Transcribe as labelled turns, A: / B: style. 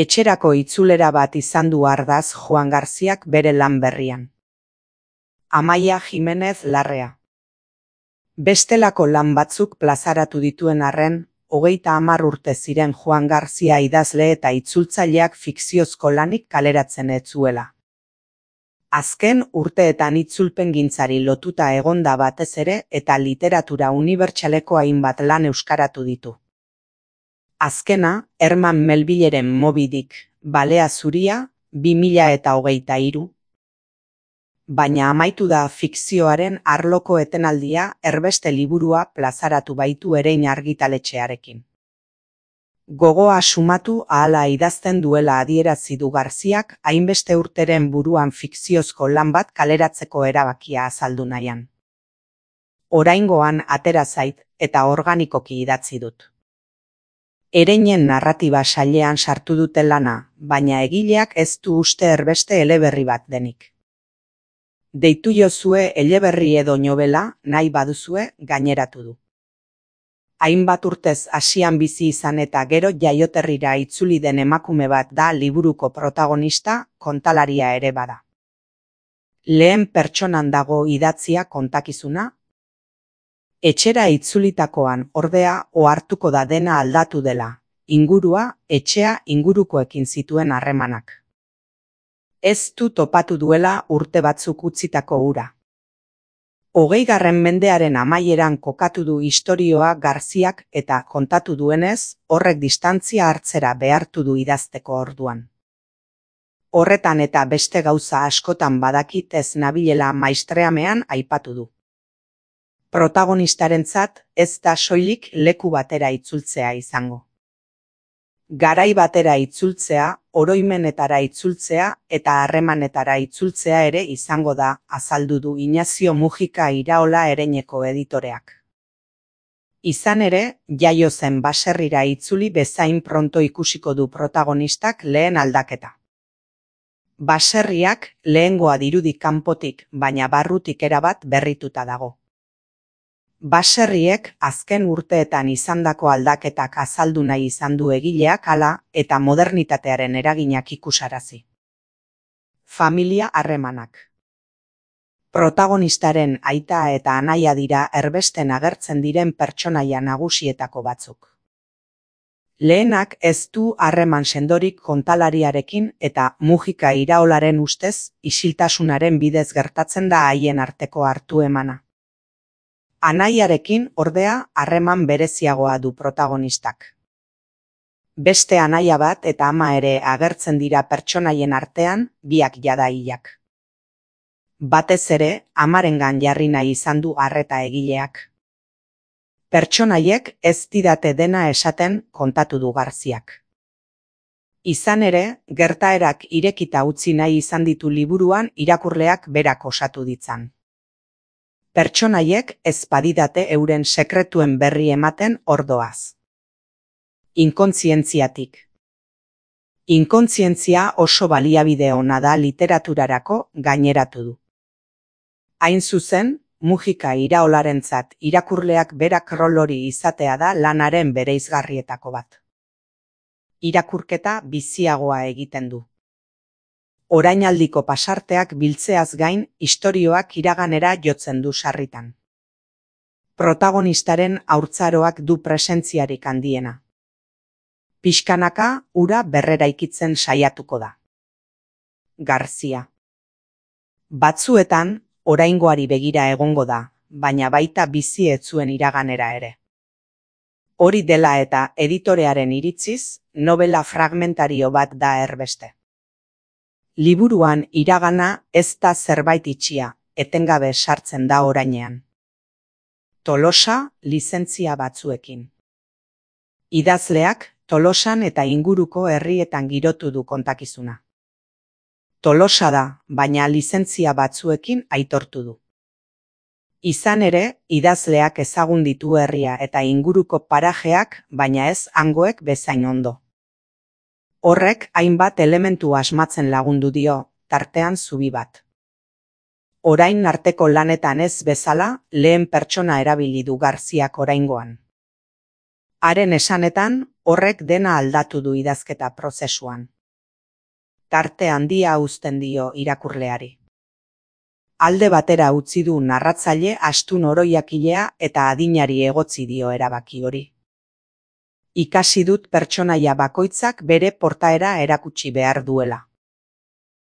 A: Etxerako itzulera bat izan du ardaz Juan Garziak bere lan berrian. Amaia Jimenez Larrea. Bestelako lan batzuk plazaratu dituen arren, 30 urte ziren Juan Garzia idazle eta itzultzaileak fikziozko lanik kaleratzen ez zuela. Azken urteetan itzulpengintzari lotuta egonda batez ere eta literatura unibertsaleko hainbat lan euskaratu ditu. Azkena, Herman Melvilleren Moby Dick, Balea zuria, 2023. Baina amaitu da fikzioaren arloko etenaldia Erbeste liburua plazaratu baitu Erein argitaletxearekin. Gogoa sumatu ahala idazten duela adierazi du Garziak hainbeste urteren buruan fikziozko lan bat kaleratzeko erabakia azaldu nahian. Oraingoan atera zait eta organikoki idatzi dut. Ereinen narratiba sailean sartu dute lana, baina egileak ez du uste erbeste eleberri bat denik. Deitu jozue eleberri edo nobela, nahi baduzue, gaineratu du. Hainbat urtez hasian bizi izan eta gero jaioterrira itzuli den emakume bat da liburuko protagonista, kontalaria ere bada. Lehen pertsonan dago idatzia kontakizuna. Etxera itzulitakoan, ordea, ohartuko da dena aldatu dela, ingurua, etxea ingurukoekin zituen harremanak. Ez du topatu duela urte batzuk utzitako hura. 20. mendearen amaieran kokatu du istorioa Garziak eta kontatu duenez, horrek distantzia hartzera behartu du idazteko orduan. Horretan eta beste gauza askotan badakit ez nabilela maistreamean aipatu du. Protagonistarentzat ez da soilik leku batera itzultzea izango. Garai batera itzultzea, oroimenetara itzultzea eta harremanetara itzultzea ere izango da, azaldu du Inazio Mujika Iraola Ereineko editoreak. Izan ere, jaio zen baserrira itzuli bezain pronto ikusiko du protagonistak lehen aldaketa. Baserriak lehengoa dirudi kanpotik, baina barrutik erabat berrituta dago. Baserriek azken urteetan izandako aldaketak azaldu nahi izan du egileak hala eta modernitatearen eraginak ikusarazi. Familia harremanak. Protagonistaren aita eta anaia dira erbesten agertzen diren pertsonaia nagusietako batzuk. Lehenak ez du harreman sendorik kontalariarekin eta Mujika Iraolaren ustez isiltasunaren bidez gertatzen da haien arteko hartu emana. Anaiarekin ordea harreman bereziagoa du protagonistak. Beste anaia bat eta ama ere agertzen dira pertsonaien artean, biak jada hilak. Batez ere, amarengan jarri nahi izan du arreta egileak. Pertsonaiek ez didate dena esaten kontatu du Garziak. Izan ere, gertaerak irekita utzi nahi izan ditu liburuan irakurleak berak osatu ditzan. Pertsonaiek ez badidate euren sekretuen berri ematen ordoaz. Inkontzientziatik. Inkontzientzia oso baliabide ona da literaturarako gaineratu du. Hain zuzen, Mujika Iraolarentzat irakurleak berak rol hori izatea da lanaren bereizgarrietako bat. Irakurketa biziagoa egiten du. Orainaldiko pasarteak biltzeaz gain, istorioak iraganera jotzen du sarritan. Protagonistaren haurtzaroak du presentziarik handiena. Pixkanaka ura berreraikitzen saiatuko da. Garzia. Batzuetan, oraingoari begira egongo da, baina baita bizi ez zuen iraganera ere. Hori dela eta editorearen iritziz, novela fragmentario bat da erbeste. Liburuan iragana ez da zerbait itxia, etengabe sartzen da orainean. Tolosa lizentzia batzuekin. Idazleak Tolosan eta inguruko herrietan girotu du kontakizuna. Tolosa da, baina lizentzia batzuekin aitortu du. Izan ere, idazleak ezagun ditu herria eta inguruko parajeak, baina ez hangoek bezain ondo. Horrek hainbat elementu asmatzen lagundu dio, tartean zubi bat. Orain arteko lanetan ez bezala, lehen pertsona erabili du Garziak oraingoan. Haren esanetan, Horrek dena aldatu du idazketa prozesuan. Tarte handia uzten dio irakurleari. Alde batera utzi du narratzaile astun oroiakilea eta adinari egotzi dio erabaki hori. Ikasi dut pertsonaia bakoitzak bere portaera erakutsi behar duela.